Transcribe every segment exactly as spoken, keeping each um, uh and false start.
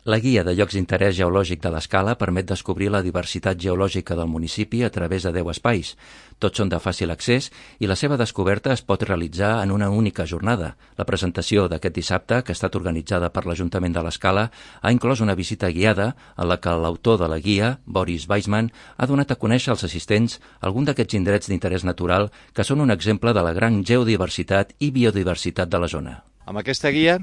La guia de llocs d'interès geològic de l'Escala permet descobrir la diversitat geològica del municipi a través de deu espais. Tots són de fàcil accés i la seva descoberta es pot realitzar en una única jornada. La presentació d'aquest dissabte, que ha estat organitzada per l'Ajuntament de l'Escala, ha inclòs una visita guiada en la que l'autor de la guia, Boris Weisman, ha donat a conèixer als assistents algun d'aquests indrets d'interès natural que són un exemple de la gran geodiversitat i biodiversitat de la zona. Amb aquesta guia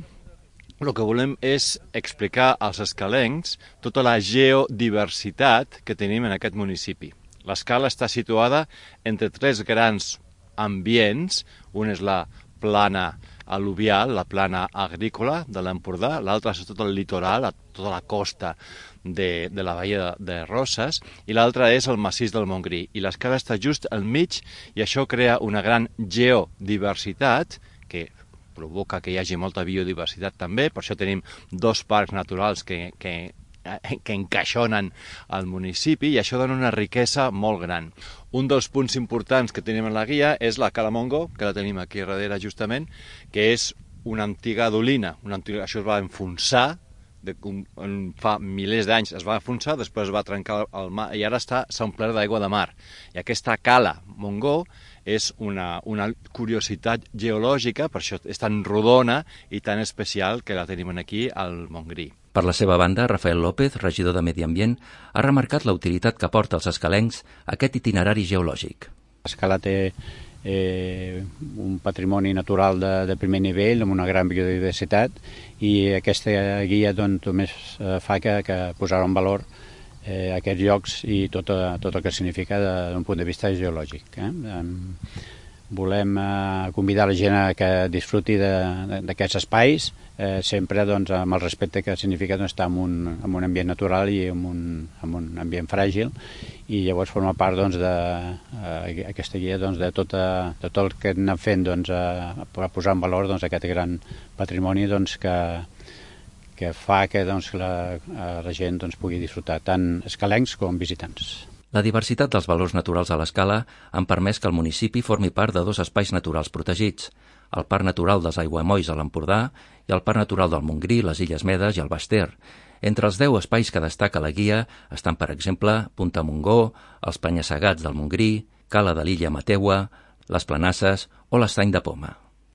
el que volem és explicar als escalencs tota la geodiversitat que tenim en aquest municipi. L'Escala està situada entre tres grans ambients. Un és la plana al·luvial, la plana agrícola de l'Empordà, l'altre és tot el litoral, tota la costa de, de la Baia de Roses, i l'altre és el massís del Montgrí. I l'Escala està just al mig i això crea una gran geodiversitat que provoca que hi hagi molta biodiversitat també. Per això tenim dos parcs naturals que, que, que encaixonen al municipi i això dona una riquesa molt gran. Un dels punts importants que tenim en la guia és la Cala Montgó, que la tenim aquí darrere justament, que és una antiga dolina. Una antiga, això es va enfonsar, de, un, fa milers d'anys es va enfonsar, després es va trencar el mar i ara està s'ha omplert d'aigua de mar. I aquesta Cala Montgó és una, una curiositat geològica, per això és tan rodona i tan especial que la tenim aquí al Montgrí. Per la seva banda, Rafael López, regidor de Medi Ambient, ha remarcat la utilitat que porta als escalencs aquest itinerari geològic. L'Escala té eh, un patrimoni natural de, de primer nivell, amb una gran biodiversitat, i aquesta guia doncs, només eh, fa que, que posar en valor eh, aquests llocs i tot, tot el que significa d'un punt de vista geològic. Eh? Volem eh, convidar la gent a que disfruti d'aquests espais, eh, sempre doncs, amb el respecte que significa doncs, estar en un, en un ambient natural i en un, en un ambient fràgil, i llavors forma part doncs, de eh, aquesta guia doncs, de, tot, de tot el que anem fent doncs, a, a posar en valor doncs, aquest gran patrimoni doncs, que, que fa que doncs, la, la gent doncs, pugui disfrutar tant escalencs com visitants. La diversitat dels valors naturals a l'Escala han permès que el municipi formi part de dos espais naturals protegits, el Parc Natural dels Aiguamolls a l'Empordà i el Parc Natural del Montgrí, les Illes Medes i el Baix Ter. Entre els deu espais que destaca la guia estan, per exemple, Punta Montgó, els Penya-segats del Montgrí, Cala de l'Illa Mateua, les Planasses o l'Estany de Poma.